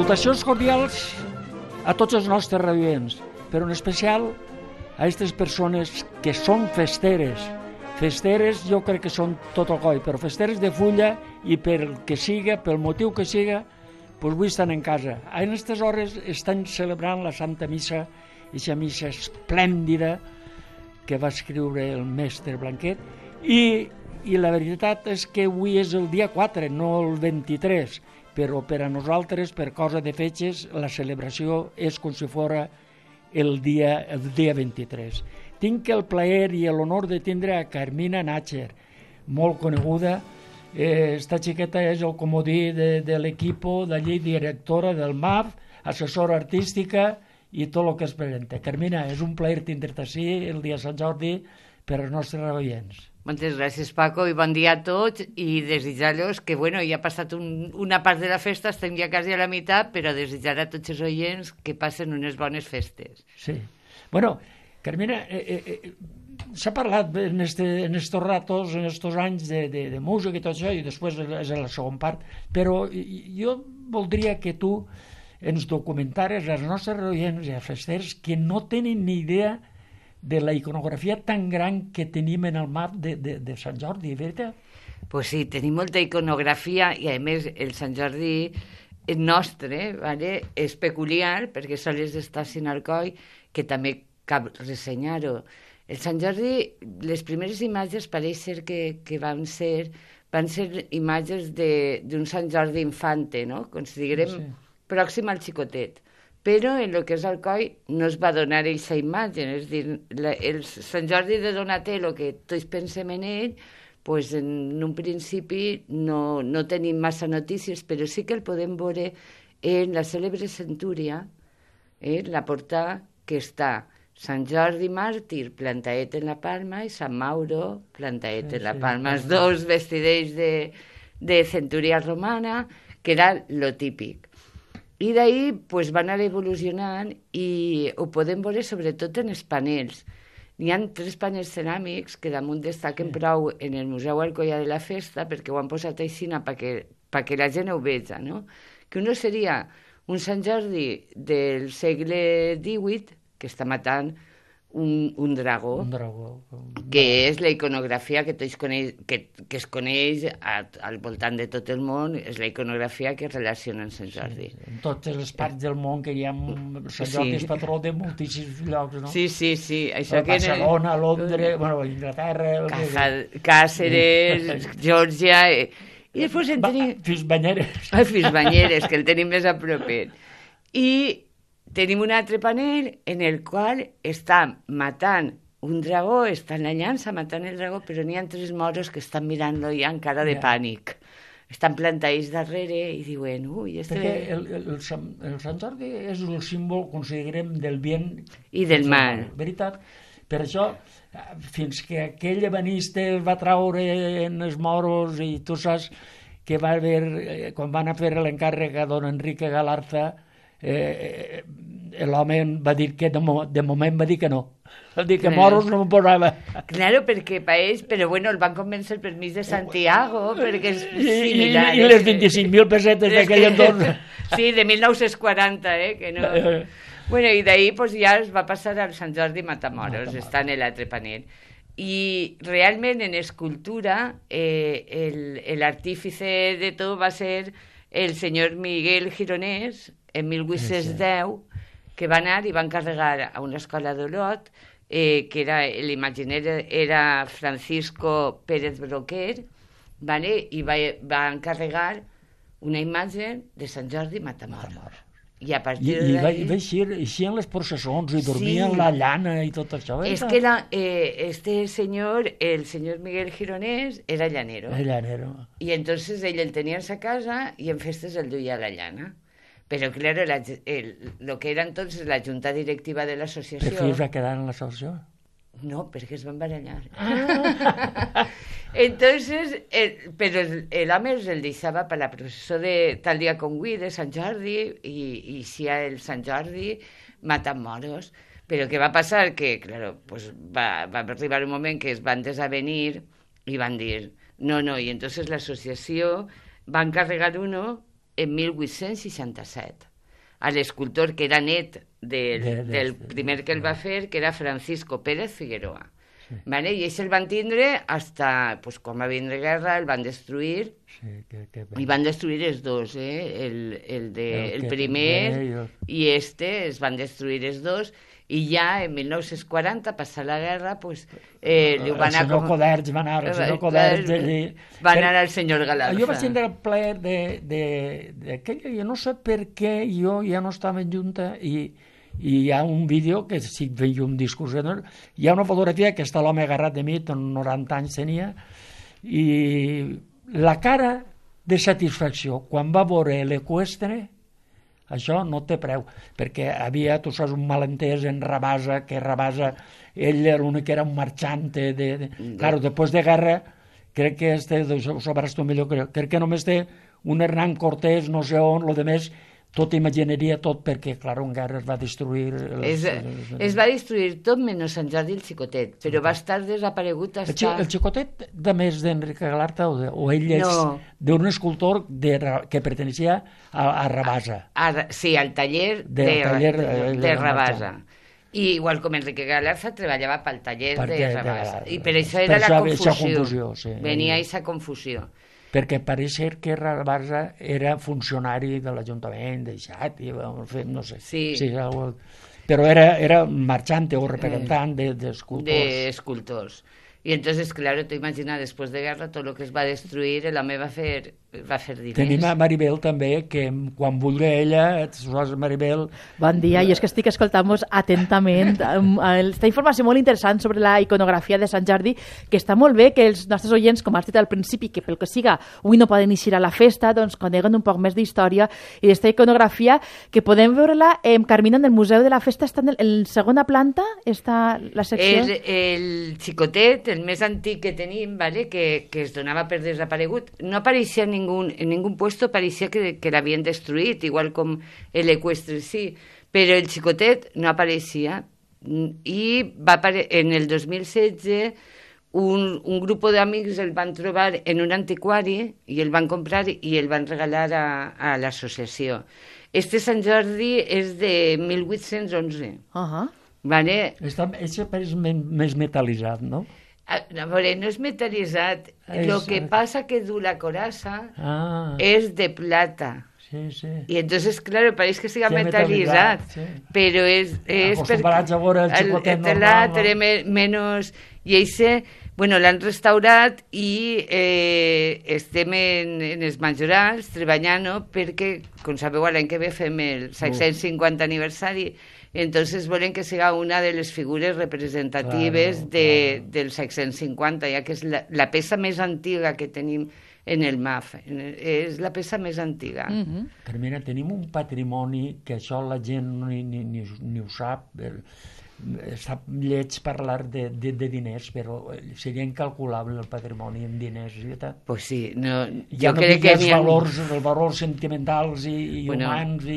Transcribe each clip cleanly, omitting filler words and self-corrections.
Salutacions cordials a tots els nostres radioients, però en especial a aquestes persones que són festeres. Festeres jo crec que són tot el coi, però festeres de fulla i pel que siga, pel motiu que siga, doncs avui estan en casa. En aquestes hores estan celebrant la Santa Missa, aquesta missa esplèndida que va escriure el mestre Blanquet, i la veritat és que avui és el dia 4, no el 23, però per a nosaltres, per cosa de fetges, la celebració és com si fos el dia 23. Tinc el plaer i l'honor de tindre a Carmina Nácher, molt coneguda. Esta xiqueta és el comodí de l'equip d'allí, directora del MAF, assessora artística i tot el que es presenta. Carmina, és un plaer tindre-te així el dia de Sant Jordi per als nostres oients. Moltes gràcies, Paco, i bon dia a tots, i desitjar-los que, ja ha passat una part de la festa, estem ja quasi a la meitat, però desitjar a tots els oients que passen unes bones festes. Sí. Bueno, Carmina, s'ha parlat en estos ratos, en estos anys de música i tot això, i després és la segona part, però jo voldria que tu ens documentares als nostres oients i als festers que no tenen ni idea de la iconografia tan gran que tenim en el map de Sant Jordi, veritat? Pues sí, tenim molta iconografia i a més el Sant Jordi nostre és peculiar perquè sols està sin Alcoi, que també cal ressenyar-ho. El Sant Jordi, les primeres imatges pareix ser que van ser imatges d'un Sant Jordi infante, no? Com si diguem, pròxim al xicotet. Però en el que és Alcoi no es va donar aquesta imatge, és a dir, el Sant Jordi de Donatello, que tots pensem en ell, pues en un principi no tenim massa notícies, però sí que el podem veure en la cèlebre centúria, la portada que està Sant Jordi màrtir, plantaet en la palma, i Sant Mauro, plantaet en la palma, els dos vestidets de centúria romana, que era lo típic. I d'ahir pues, va anar evolucionant i ho podem veure sobretot en els panels. N'hi ha 3 panels ceràmics que damunt destaquen prou en el Museu Alcoià de la Festa perquè ho han posat així perquè la gent ho veja, no? Que un seria un Sant Jordi del segle XVIII que està matant un dragó, que és la iconografia que tots que es coneix al voltant de tot el món, és la iconografia que relaciona amb Sant Jordi. Sí, en totes les parts del món que hi ha Sant Jordi és patró de moltíssims llocs, no? Sí. Això Barcelona, Londres, Inglaterra... Càceres, Geòrgia... I després en tenim... Fisbanyeres, que el tenim més a propet. I tenim un altre panel en el qual està matant un dragó, està en la llança matant el dragó, però n'hi ha 3 moros que estan mirant-lo ja amb cara de pànic. Estan plantats darrere i diuen... Perquè el Sant Jordi és el símbol, considerem, del bien i del mal. Veritat? Per això, fins que aquell ebanista el va traure en els moros i tu saps que va haver, quan van a fer l'encàrrec a don Enrique Galarza, l'home va dir que de moment va dir que no. Va dir que moros no m'ho posava. Claro, perquè per ells, però el van convèncer per mig de Santiago, perquè és similar. I les 25.000 pessetes d'aquell entorn. Sí, de 1940, que no... I d'ahir ja es va passar al Sant Jordi Matamoros, està en l'altre panel. I realment en escultura l'artífice de tot va ser el senyor Miguel Gironès, en 1810, que va anar i va encarregar a una escola d'Olot, que era l'imaginer era Francisco Pérez Broquer, i va encarregar una imatge de Sant Jordi Matamoros. I a partir I va així en les processons i dormia en la llana i tot això. És que este senyor, el senyor Miguel Gironès, era llanero. I entonces ell el tenia a sa casa i en festes el duia a la llana. Però, clar, el que era entonces la junta directiva de l'associació... Per fi es va quedar en l'associació? No, perquè es van barallar. Entonces, però l'home el deixava per la processó de tal dia com avui, de Sant Jordi, i si el Sant Jordi matant moros. Però què va passar? Que, clar, va arribar un moment que es van desavenir i van dir no, i entonces l'associació va encarregar uno en 1867. a l'escultor que era net del primer que el va fer, que era Francisco Pérez Figueroa. Sí. Vale? I ells el van tindre hasta, pues, quan va vindre guerra, el van destruir, i van destruir els dos, el primer i es van destruir els dos, i ja en 1940, passar la guerra, pues, li ho van anar... El senyor Coderch va anar, el senyor Coderch... Va anar al senyor Galarza. Jo vaig tindre el plaer d'aquella, jo no sé per què jo ja no estava en junta, i hi ha un vídeo que si feia un discurs, hi ha una fotografia que està l'home agarrat de mi, 90 anys tenia, i la cara de satisfacció quan va veure l'eqüestre, això no té preu, perquè havia, tu saps, un malentès en Rabasa, que Rabasa, ell era l'únic que era un marxant claro, després de guerra, crec que ho sabràs tu millor, crec que només té un Hernán Cortés, no sé on, lo demés, tot imaginaria tot, perquè, clar, en guerra es va destruir... Es va destruir tot menys Sant Jordi el Xicotet, però va estar desaparegut hasta... El Xicotet, de més d'Enric Galarza, o ell és d'un escultor que pertenecía a Rabasa. Sí, al taller de Rabasa. I igual com Enrique Galarza treballava pel taller de Rabasa. I per això era la confusió. Venia aquesta confusió. Perquè pareix ser que Rabasa era funcionari de l'Ajuntament, no sé. Sí, però era marxant o representant d'escultors. D'escultors. I entonces, claro, tu imagina, després de guerra, tot el que es va destruir, l'home va fer diners. Tenim a Maribel també, que quan vulgui ella, Maribel... Bon dia, jo és que estic escoltant-vos atentament esta informació molt interessant sobre la iconografia de Sant Jordi, que està molt bé que els nostres oients, com has dit al principi, que pel que siga, avui no poden eixir a la festa, doncs coneguen un poc més d'història i d'esta iconografia, que podem veure-la, Carmina, en el Museu de la Festa, està en la segona planta, està la secció... El Xicotet, el més antic que tenim, ¿vale? que es donava per desaparegut, no apareixia en ningún puesto, parecía que l'havien destruït, igual com l'eqüestre, sí, però el Xicotet no apareixia, i en el 2016 un grup d'amics el van trobar en un antiquari i el van comprar i el van regalar a l'associació. Este Sant Jordi és de 1811. ¿Vale? Això és més metal·litzat, no? A veure, no és metal·litzat. El que passa que du la coraza és de plata. Sí. Y entonces, claro, parece que siga metalitzat, però és acostumbrats a veure el Xicotet normal, té menys... I això, bueno, l'han restaurat i estem en els majorals treballant, perquè, com sabeu, l'any que ve fem el 650 aniversari. Entonces volen que siga una de les figures representatives del 650, ja que és la peça més antiga que tenim en el MAF. És la peça més antiga. Carmina, tenim un patrimoni que això la gent ni ho sap. Està lleig parlar de diners, però seria incalculable el patrimoni en diners, veritat? Pues sí. Jo crec que els valors sentimentals i humans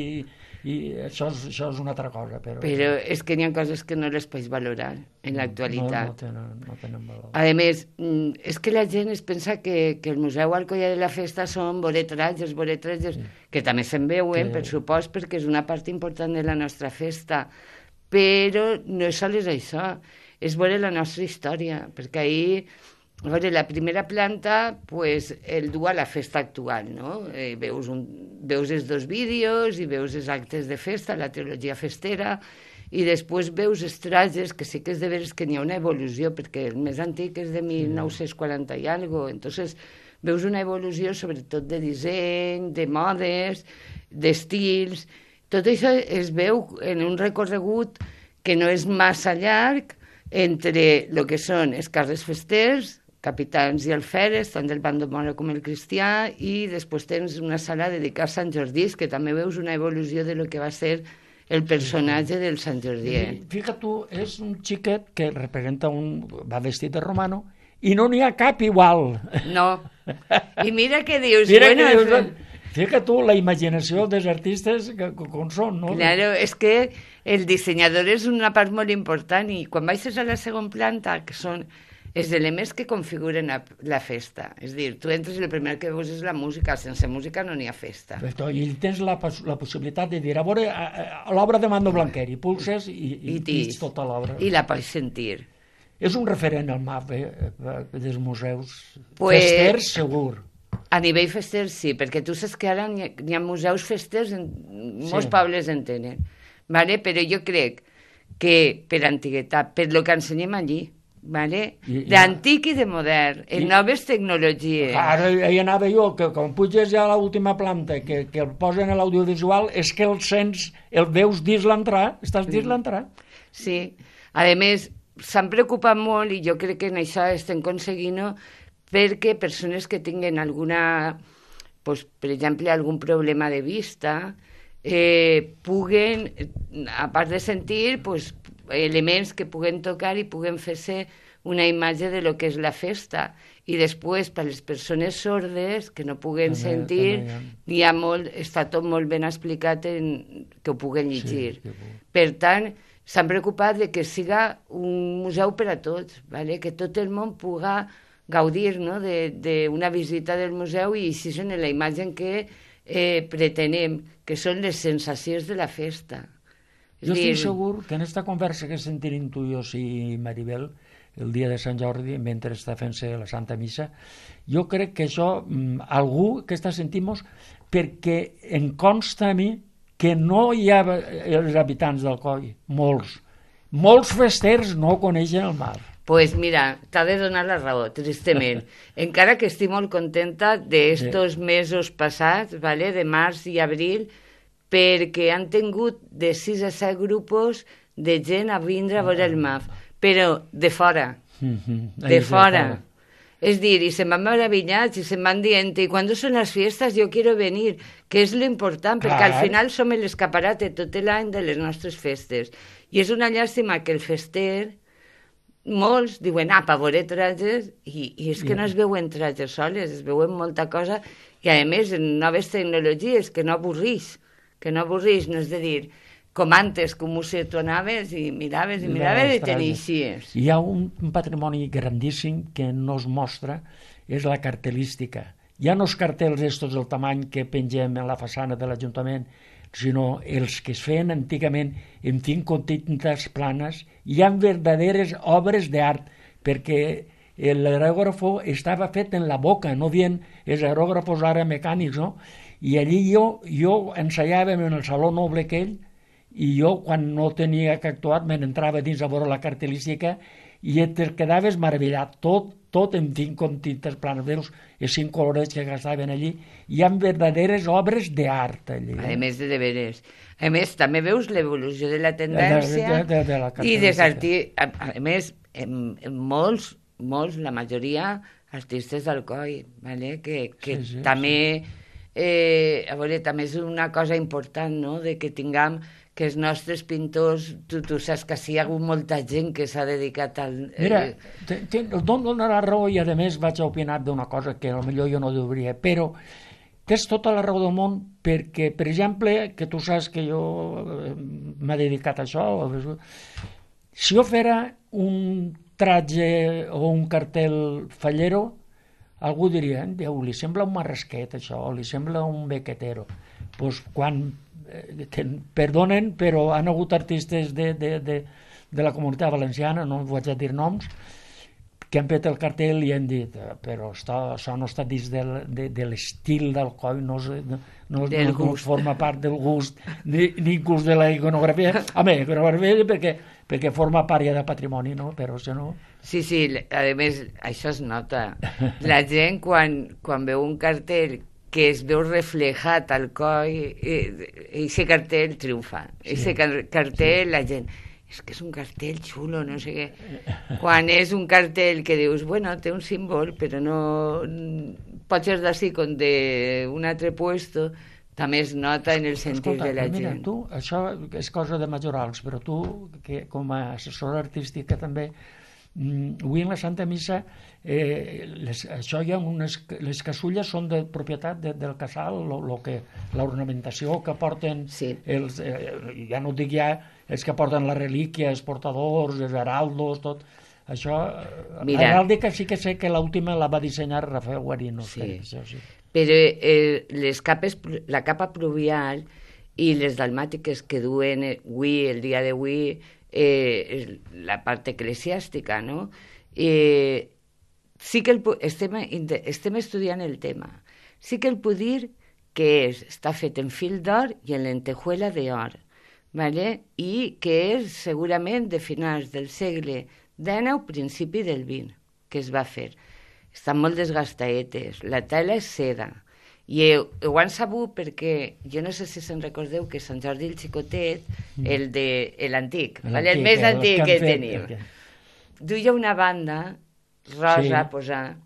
i això és una altra cosa. Però és que n'hi ha coses que no les pots valorar en l'actualitat. No tenen valor. A més, és que la gent es pensa que el Museu Alcoià de la Festa són boletratges, que també se'n veuen, per supost, perquè és una part important de la nostra festa, però no és sols això, és veure la nostra història, perquè ahir... A veure, la primera planta, pues, el du a la festa actual, no? Veus els dos vídeos i veus els actes de festa, la teologia festera, i després veus els trajes, que sí que és de veres que n'hi ha una evolució, perquè el més antic és de 1940 i alguna cosa, entonces veus una evolució sobretot de disseny, de modes, d'estils, tot això es veu en un recorregut que no és massa llarg entre el que són els carrers festers, capitans i alferes, tant del bando moro com el cristià, i després tens una sala dedicada a Sant Jordi, que també veus una evolució de lo que va ser el personatge del Sant Jordi. Fíjate tu, és un xiquet que representa va vestit de romano i no n'hi ha cap igual. No. I mira què dius. Fíjate tu, la imaginació dels artistes com són, no? Claro, és que el dissenyador és una part molt important, i quan baixes a la segona planta, que són els elements que configuren la festa. És a dir, tu entres i el primer que veus és la música, sense música no n'hi ha festa. I tens la possibilitat de dir, a veure, l'obra de Mando Blanquer, i pulses i tens tota l'obra. I la pots sentir. És un referent al MAF, dels museus. Festers, segur. A nivell fester, sí, perquè tu saps que ara n'hi ha museus festers, molts pobles en tenen. Vale? Però jo crec que per antiguitat, per lo que ensenyem allí, vale? D'antic i de modern, en noves tecnologies. Ara hi anava jo, que quan puges ja a l'última planta, que el posen a l'audiovisual, és que el sents, el veus dins l'entrar, estàs dins l'entrar. Sí, a més, s'han preocupat molt, i jo crec que en això estem aconseguint-ho, perquè persones que tinguen alguna, pues, per exemple, algun problema de vista, puguen, a part de sentir, pues, elements que puguen tocar i puguen fer-se una imatge de lo que és la festa. I després, per les persones sordes que no puguen sentir, està tot molt ben explicat que ho puguen llegir. Per tant, s'han preocupat de que siga un museu per a tots, vale? Que tot el món pugui gaudir, no? d'una visita del museu i així en la imatge que pretenem, que són les sensacions de la festa. Jo estic segur que en aquesta conversa que sentirem tu, jo i Maribel, el dia de Sant Jordi, mentre està fent-se la Santa Missa, jo crec que això, algú que està sentint, perquè em consta a mi que no hi ha els habitants d'Alcoi, molts festers no coneixen el mar. Pues mira, t'ha de donar la raó, tristament. Encara que estic molt contenta d'estos mesos passats, vale, de març i abril, perquè han tingut de 6 a 7 grups de gent a vindre a veure el MAF, però de fora, de fora. És dir, i se'n van meravillats i se'n van dient, i quan són les fiestes jo quiero venir, que és l'important, perquè al final som l'escaparate tot l'any de les nostres festes. I és una llàstima que el fester, molts diuen, per veure trajes, i és que no es veuen trajes soles, es veuen molta cosa, i a més en noves tecnologies, que no avorrix, no és de dir, com antes, com tu anaves i miraves i t'inicies. Hi ha un patrimoni grandíssim que no es mostra, és la cartelística. Hi ha no els cartells estos del tamany que pengem en la façana de l'Ajuntament, sinó els que es feien antigament en tintes planes. Hi ha verdaderes obres d'art, perquè l'aerògrafo estava fet en la boca, no havien els aerògrafos ara mecànics, no? I allí jo ensaiàvem en el saló noble aquell, i jo, quan no tenia que actuar, me n'entrava dins a veure la cartelística i et quedaves meravellat, tot en tintes planes, veus, els 5 colorets que gastaven allí. Hi ha verdaderes obres d'art allí. A més de veres. A més, també veus l'evolució de la tendència i dels artistes. A més, molts, la majoria, artistes d'Alcoi, que també... A veure, també és una cosa important, no?, de que tinguem que els nostres pintors, tu saps que sí hi ha hagut molta gent que s'ha dedicat al... Mira, dono la raó i a més vaig a opinar d'una cosa que potser jo no hauria, però tens tota la raó del món perquè, per exemple, que tu saps que jo m'he dedicat a això, si jo fera un tratge o un cartel fallero, algú diria, Déu, li sembla un marrasquet això, li sembla un bequetero. Doncs quan, perdonen, però han hagut artistes de la comunitat valenciana, no vaig a dir noms, que han fet el cartell i han dit, però això no està dins de l'estil d'Alcoi, no forma part del gust, ni inclús de la iconografia. Home, iconografia perquè forma part ja del patrimoni, no? Però si no... Sí, a més, això es nota. La gent, quan veu un cartell que es veu reflejat al coll, aquest cartell triomfa. Aquest cartell, la gent... És que és un cartell xulo, no sé què. Quan és un cartell que dius, bueno, té un símbol, però no... Pot ser d'ací com d'un altre puesto, també es nota en el sentit de la gent. Mira, tu, això és cosa de majorals, però tu, que com a assessora artística també, avui en la Santa Missa, això hi ha les casulles són de propietat del casal, l'ornamentació que porten, ja no dic ja, els que porten la relíquia, els portadors, els heraldos, tot, Això, Mira. l'heràldica sí que sé que l'última la va dissenyar Rafael Guarino. Sí. Això sí. Però les capes, la capa pluvial i les dalmàtiques que duen avui, el dia d'avui, la part eclesiàstica, no? Sí que estem estudiant el tema. Sí que el puc dir que està fet en fil d'or i en lentejuela d'or, ¿vale? I que és segurament de finals del segle XIX o principi del XX que es va fer. Estan molt desgastaetes, la tela és seda, i ho han sabut perquè, jo no sé si se'n recordeu que Sant Jordi el Xicotet, l'antic, el més antic que tenim, duia una banda rosa a posar,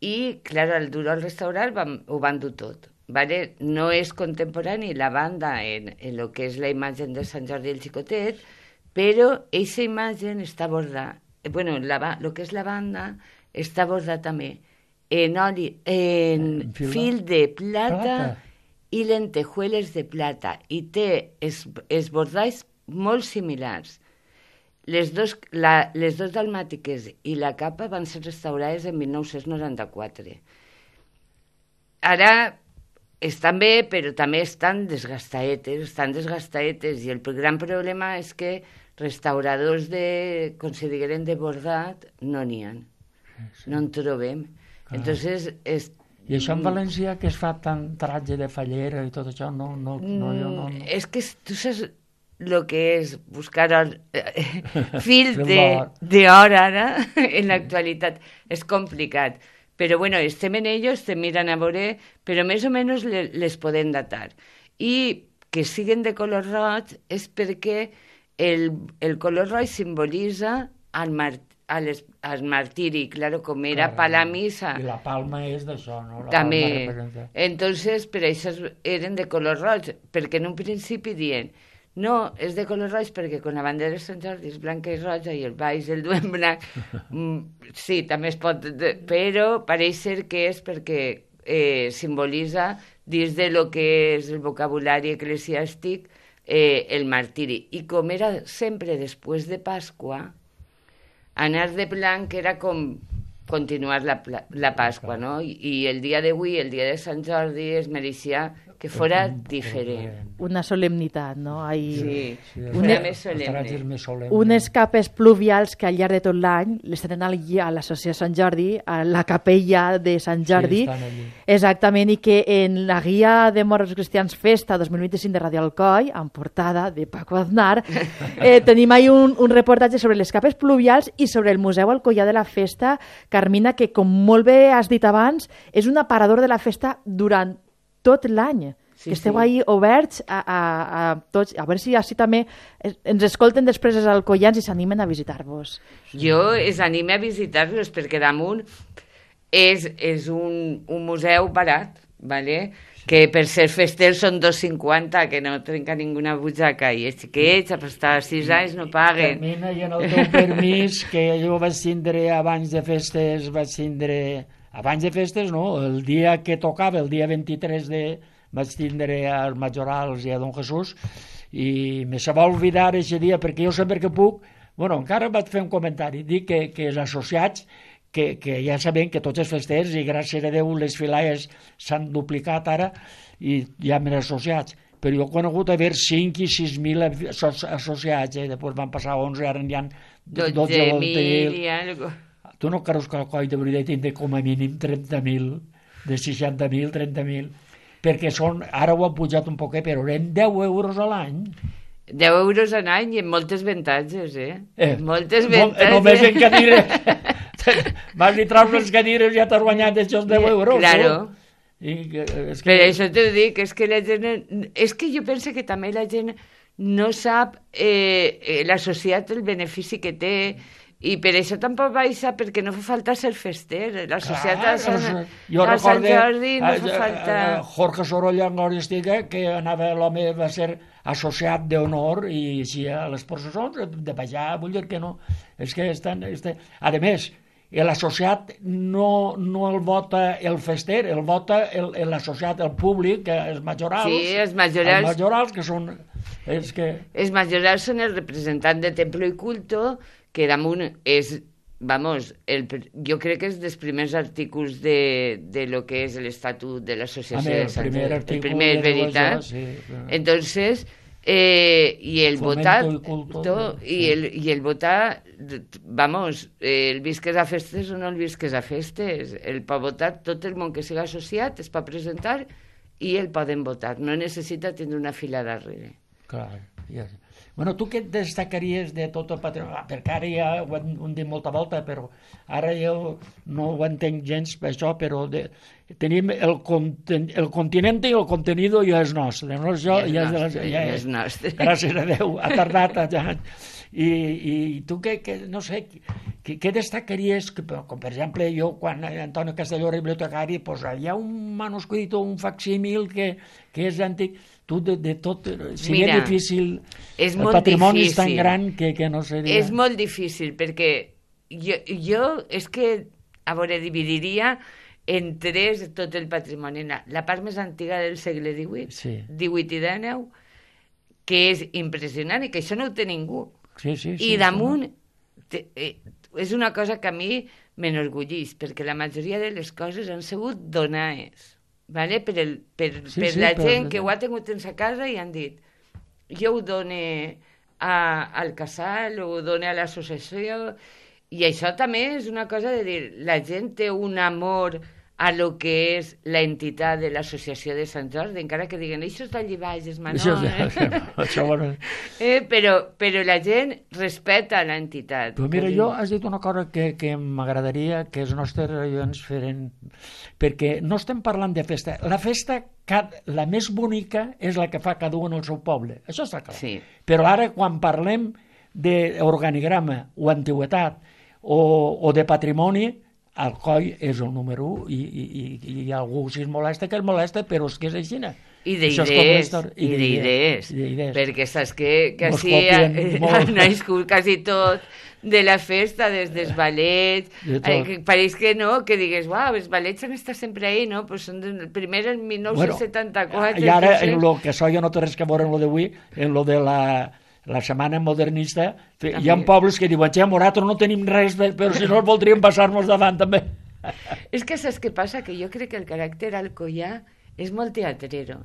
i, clar, al dur al restaurant ho van dur tot. Vale? No és contemporani la banda en el que és la imatge de Sant Jordi el Xicotet, però aquesta imatge està bordada. Bueno, el que és la banda està bordada també en fil de plata i lentejueles de plata, i té els bordalls molt similars. Les dos dalmàtiques i la capa van ser restaurades en 1994. Ara estan bé, però també estan desgastaetes, i el gran problema és que restauradors consideren de bordat no n'hi ha, no en trobem. Entonces, i això en València, que es fa tant tratge de fallera i tot això, no. És que tu saps el que és buscar fil d'or ara, en l'actualitat. És complicat. Però bueno, estem en ello, estem mirant a veure, però més o menys les podem datar. I que siguen de color roig és perquè el color roig simbolitza el martiri, claro, com era pa la missa. I la palma és d'això, no? També. Entonces, per això eren de color roig, perquè en un principi diuen no, és de color roig perquè quan la bandera de Sant Jordi és blanca i roja i el baix el duem blanc, sí, també es pot, però pareix ser que és perquè simbolitza dins de lo que és el vocabulari eclesiàstic el martiri. I com era sempre després de Pasqua, anar de blanc era com continuar la Pasqua, no? I el dia d'avui, el dia de Sant Jordi, es mereixia que fora diferent. Una solemnitat, no? Sí, fora més solemne. Unes capes pluvials que al llarg de tot l'any les tenen allí a l'associació Sant Jordi, a la capella de Sant Jordi, exactament, i que en la guia de Moros Cristians Festa 2025 de Radio Alcoi, en portada de Paco Aznar, tenim ahí un reportatge sobre les capes pluvials i sobre el Museu Alcoià de la Festa, Carmina, que com molt bé has dit abans, és un aparador de la festa durant tot l'any, que esteu ahí oberts a tots, a veure si així també ens escolten després els alcoians i s'animen a visitar-vos. Jo els anime a visitar-los perquè damunt és un museu barat, ¿vale? Que per ser festers són 2,50, que no trenca ninguna butxaca, i els xiquets a estar 6 anys no paguen. Termina, i en el teu permís, que jo vaig tindre abans de festes, abans de festes, no, el dia que tocava, el dia 23 vaig tindre als Majorals i a Don Jesús, i me se va oblidar aquest dia, perquè jo sempre que puc, bueno, encara vaig fer un comentari, dic que els associats, que ja sabem que tots els festers, i gràcies a Déu les filaies s'han duplicat ara, i hi ha més associats, però jo he conegut haver 5 i 6.000 associats, després van passar 11, ara n'hi ha 12.000 i algo. Tu no creus que el coll de veritat tindrà com a mínim 30.000, de 60.000, 30.000, perquè ara ho han pujat un poquet, però eren 10 euros a l'any. 10 euros a l'any i amb moltes avantatges, moltes avantatges. Només en cadires. Vas i traus les cadires i ja t'has guanyat aquests 10 euros. Claro. Per això t'ho dic, és que la gent... És que jo penso que també la gent no sap l'associat el benefici que té, i per això tampoc baixa, perquè no fa falta ser fester. L'associat a Sant Jordi no fa falta... Jorge Sorolla, en Estiga, que l'home va ser associat d'honor, i així a les processons de baixar, vull dir que no. És que a més, l'associat no el vota el fester, el vota l'associat, el públic, els majorals. Sí, els majorals. Els majorals, que són... Els majorals són el representant de Templo i Culto, que damunt és, vamos, jo crec que és dels primers artículos de lo que és l'Estatut de l'Associació de Sant Jordi. El primer, veritat. Sí, entonces, y el votar, y el votar, vamos, el visques a festes o no el visques a festes, el pot votar tot el món que siga associat, es pot presentar i el poden votar, no necessita tindre una fila darrere. Clar, ja. Bueno, tu què destacaries de tot el patrimoni? Perquè ara ja ho hem dit molta volta, però ara jo no ho entenc gens per això, però tenim el continent i el contenido ja és nostre. No? Ja és nostre. Gràcies a Déu, ha tardat ja. I tu no sé, què destacaries? Com per exemple, jo, quan Antonio Castelló era bibliotecari, doncs hi ha un manuscrit o un facsímil que és antic. Tu de tot, seria difícil, el patrimoni és tan gran que no seria... És molt difícil, perquè jo és que, a veure, dividiria en tres tot el patrimoni. La part més antiga del segle XVIII, XVIII i XIX, que és impressionant i que això no ho té ningú. I damunt és una cosa que a mi m'enorgullís, perquè la majoria de les coses han sigut donades. Vale? Per la gent que ho ha tingut en sa casa i han dit jo ho dono al casal o ho dono a l'associació, i això també és una cosa de dir, la gent té un amor a lo que és l'entitat de l'associació de Sant Jordi, encara que diguen això està allí baix, és menor, però la gent respecta l'entitat. Però mira, jo has dit una cosa que m'agradaria que els nostres oients feren, perquè no estem parlant de festa. La festa, la més bonica, és la que fa cada un al seu poble. Això està clar. Sí. Però ara, quan parlem d'organigrama o antiguitat o de patrimoni, el coll és el número 1 i algú si es molesta, que es molesta, però és que és així. I d'idees, perquè saps que així han nascut quasi tot de la festa, des dels ballets, pareix que no, que digues, uau, els ballets han estat sempre ahí, no? Però són primer en 1974. I ara, en el que això ja no té res que veure en el d'avui, en el de la setmana modernista, hi ha pobles que diuen, nosaltres no tenim res, però si no voldríem passar-nos davant també. És que saps què passa? Que jo crec que el caràcter alcoià és molt teatrero.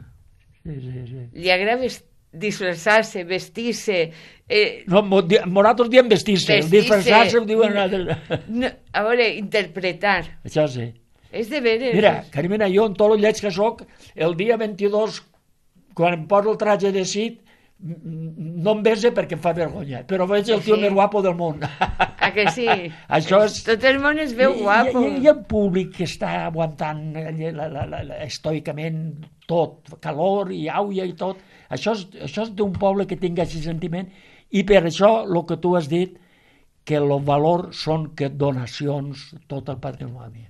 Sí. Li agrada disfressar-se, vestir-se... Nosaltres diem vestir-se, disfressar-se ho diuen... A veure, interpretar. Això sí. És de veres. Mira, Carmina, jo en tot el lleig que soc, el dia 22, quan em poso el traje de Cid, no em bese perquè em fa vergonya, però veig el tio més guapo del món. Que sí? Això és... Tot el món es veu guapo. I el públic que està aguantant estoicament tot, calor i auia i tot, això és d'un poble que tingui aquest sentiment, i per això el que tu has dit, que el valor són que donacions, tot el patrimoni.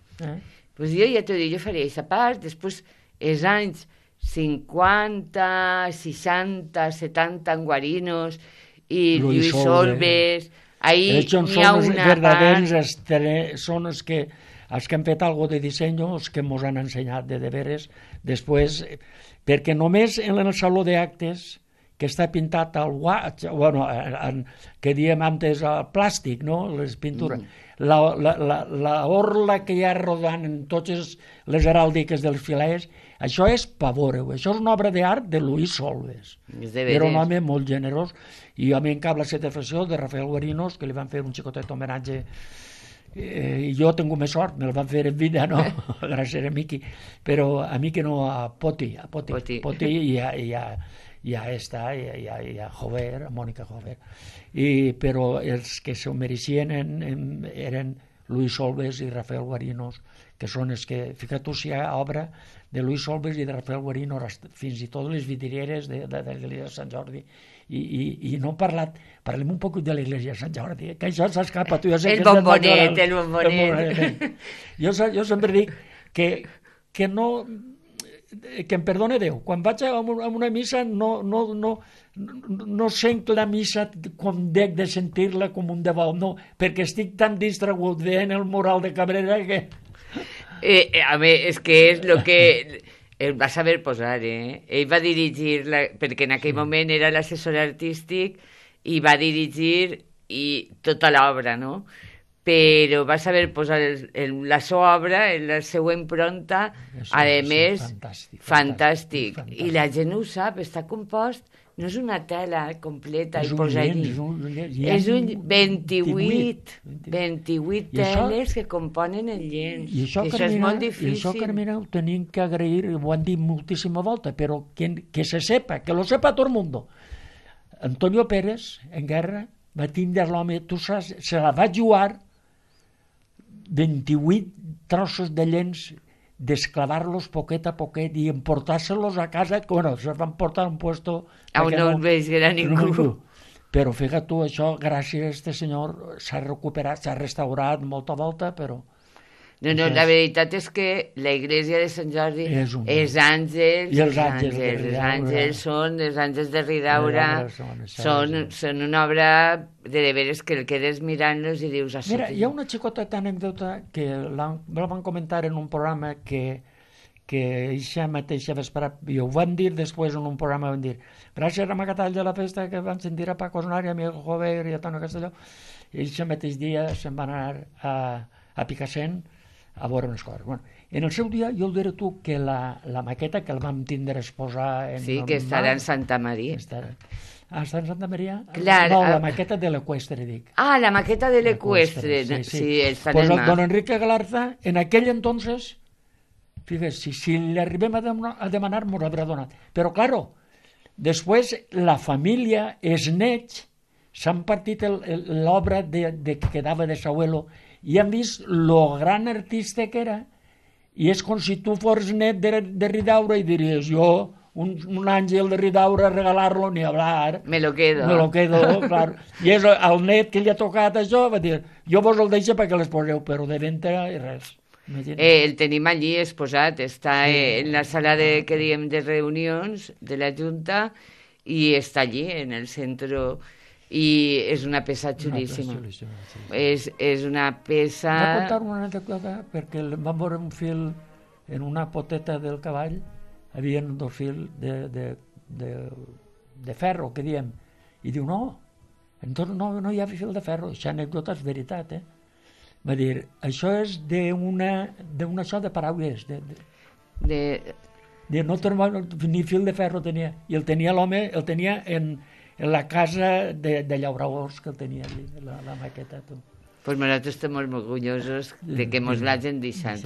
Pues jo ja t'ho dic, jo faria aquesta part, després els anys 50, 60, 70 en Guarinos i Lluís Solves, ahí n'hi ha una part... Són els que han fet alguna de disseny, els que ens han ensenyat de veres, després, perquè només en el saló d'actes, que està pintat al que diem antes al plàstic, no? Les pintures. La orla que hi ha rodant en totes les heràldiques dels filers, això és pavor, això és una obra d'art de Lluís Solves. Era un home molt generós, i a mi en cap la satisfacció de Rafael Guarinos, que li van fer un xicotet homenatge, i jo he tingut més sort, me'l van fer en vida, no? Gràcies a Miqui, però a Miqui no, a Poti i a Jover, a Mònica Jover, però els que s'ho mereixien eren Lluís Solves i Rafael Guarinos, que són els que, fica't tu si hi ha obra de Lluís Solves i de Rafael Guarinos, fins i tot les vidrieres de l'església de Sant Jordi, i no parlem un poc de l'església de Sant Jordi, que això s'escapa. El bombonet. Jo sempre dic que no... que em perdone Déu, quan vaig a una missa no sent la missa com dec de sentir-la com un devot, no, perquè estic tan distragut veient el mural de Cabrera que... A veure, és que és el que el va saber posar, ell va dirigir, perquè en aquell moment era l'assessor artístic, i va dirigir i tota l'obra, no? Però va saber posar la seva obra en la seva impronta, a més, fantàstic. I la gent ho sap, està compost, no és una tela completa i posar allí. És un 28 teles que componen el llenç. I això, és molt difícil. I això, Carmina, ho tenim que agrair, ho han dit moltíssima volta, però que se sepa, que lo sepa tot el mundo. Antonio Pérez, en guerra, va tindre l'home, tu saps, se la va jugar 28 trossos de llenç, desclavar-los poquet a poquet i emportar-se-los a casa, bueno, se van portar a un puesto... On no els veia ningú. Però fíjate tu, això, gràcies a este senyor, s'ha recuperat, s'ha restaurat molta volta, però... No, la veritat és que la iglesia de Sant Jordi és àngels, i els àngels de Ridaura, són una obra de veres que el quedes mirant-los i dius... Mira, hi ha una xicota anècdota que la van comentar en un programa que eixa mateixa vesprada, i ho van dir després en un programa, van dir gràcies a Magatall de la festa que van sentir a Paco Osnar i a Miguel Jover i a Toni Castelló, i eixa mateix dia se'n van anar a Picassent a veure unes coses. Bueno, en el seu dia, jo el diré tu, que la maqueta que el vam tindre exposar... Sí, que estarà en Santa Maria. Està en Santa Maria? Clar, no, la maqueta de l'Equestre, dic. Ah, la maqueta de l'Equestre. Sí, està en el mar. Don Enrique Galarza, en aquell entonces, fíjese, si le arribem a demanar, mos l'haurà donat. Però, claro, després la família, els nets, s'han partit l'obra que quedava de Sauelo i han vist lo gran artista que era, i és com si tu fos net de Ridaura i diries, jo, un àngel de Ridaura, regalar-lo, ni hablar. Me lo quedo, clar. I és el net que li ha tocat això, va dir, jo vos el deixo perquè les poseu, però de venta i res. El tenim allí exposat, està en la sala que diem de reunions de la Junta i està allí, en el centre... i és una peça xulíssima. És una peça... Vaig contar una anècdota perquè vam veure un fil en una poteta del cavall, havia dos fils de ferro, que diem, i diu, no hi ha fil de ferro, això anècdota és veritat, va dir, això és d'una això de paraules, ni fil de ferro tenia, i el tenia l'home, el tenia en la casa de llauradors que tenia allí, la maqueta. Pues nosaltres estem molt orgullosos de que mos l'hagin deixat.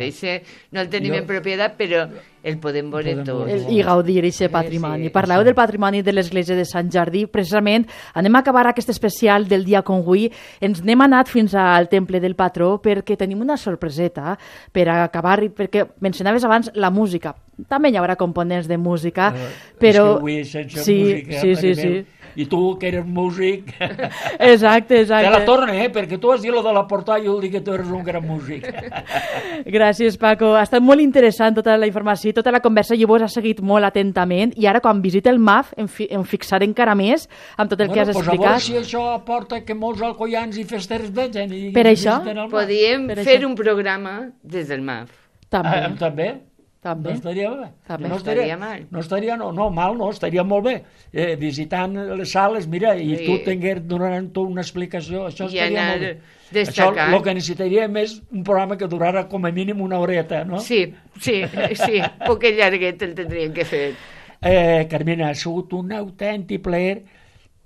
No el tenim en propietat, però el podem veure tot. I gaudir d'aquest patrimoni. Parleu del patrimoni de l'església de Sant Jordi. Precisament anem a acabar aquest especial del dia con avui. Ens n'hem anat fins al temple del patró perquè tenim una sorpreseta per acabar, perquè mencionaves abans la música. També hi haurà components de música, però... És que avui sense música... Sí. I tu, que eres músic... Exacte. Te la torne, perquè tu has dit lo de la portada i jo dic que tu eres un gran músic. Gràcies, Paco. Ha estat molt interessant tota la informació, tota la conversa, jo vos ha seguit molt atentament, i ara, quan visite el MAF, em fixaré encara més amb tot el que has explicat. A veure si això aporta que molts alcoians i festers vegin. Per això? Podríem fer un programa des del MAF. També? També. No estaria bé. No estaria mal. No estaria, estaria molt bé. Visitant les sales, mira, i tu donant una explicació, això estaria molt bé. Això, el que necessitaríem és un programa que durara com a mínim una horeta, no? Sí, poquet llarguet el tindríem que fer. Carmina, ha sigut un autèntic plaer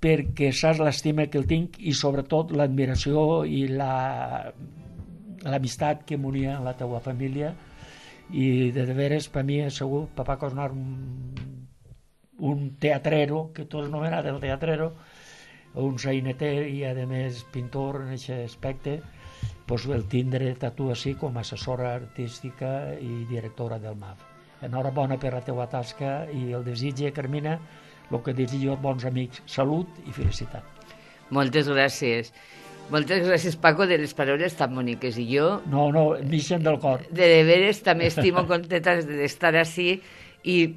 perquè saps l'estima que el tinc i sobretot l'admiració i l'amistat que m'unia a la teua família. I de veres per mi ha sigut Paco Osnar un teatrero, que tu has anomenat el teatrero, un saineter i a més pintor en aquest aspecte, pues el tindre a tu així com a assessora artística i directora del MAF. Enhorabona per la teua tasca i el desitge, Carmina, el que desitjo als bons amics, salut i felicitat. Moltes gràcies. Moltes gràcies, Paco, de les paraules tan boniques. I jo... No, m'ixen del cor. De veres també estimo contenta d'estar així,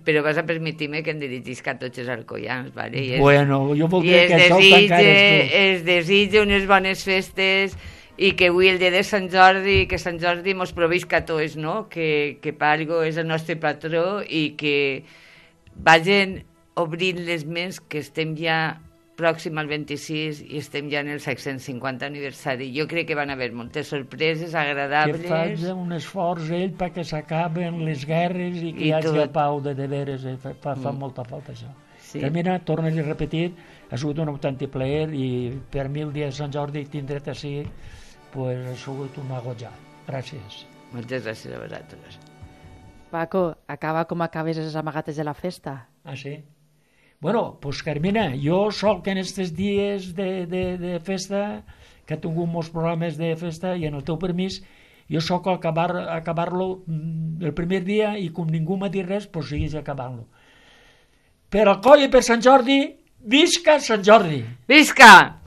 però vas a permetir-me que em dirigisc a tots els alcoians, ¿vale? Bueno, jo voldria que això ho tancares tu. Es desitjo unes bones festes i que avui el dia de Sant Jordi, que Sant Jordi mos provisca a tots, no? Que Palgo és el nostre patró i que vagin obrint les ments, que estem ja pròxim al 26 i estem ja en el 650 aniversari. Jo crec que van haver moltes sorpreses agradables. Que faig un esforç ell perquè s'acaben les guerres i que hi hagi pau de veres. Fa molta falta això. Sí. Carmina, torna-li a repetir, ha sigut un autèntic plaer i per mi el dia de Sant Jordi tindre't així, pues, ha sigut una goja. Gràcies. Moltes gràcies a vosaltres. Paco, acaba com acabes les amagates de la festa. Ah, sí? Bueno, pues Carmina, jo soc en aquests dies de festa, que he tingut molts programes de festa, i en el teu permís, jo soc acabar-lo el primer dia i com ningú m'ha dit res, pues siguis acabant-lo. Per Alcoi i per Sant Jordi, visca Sant Jordi! Visca!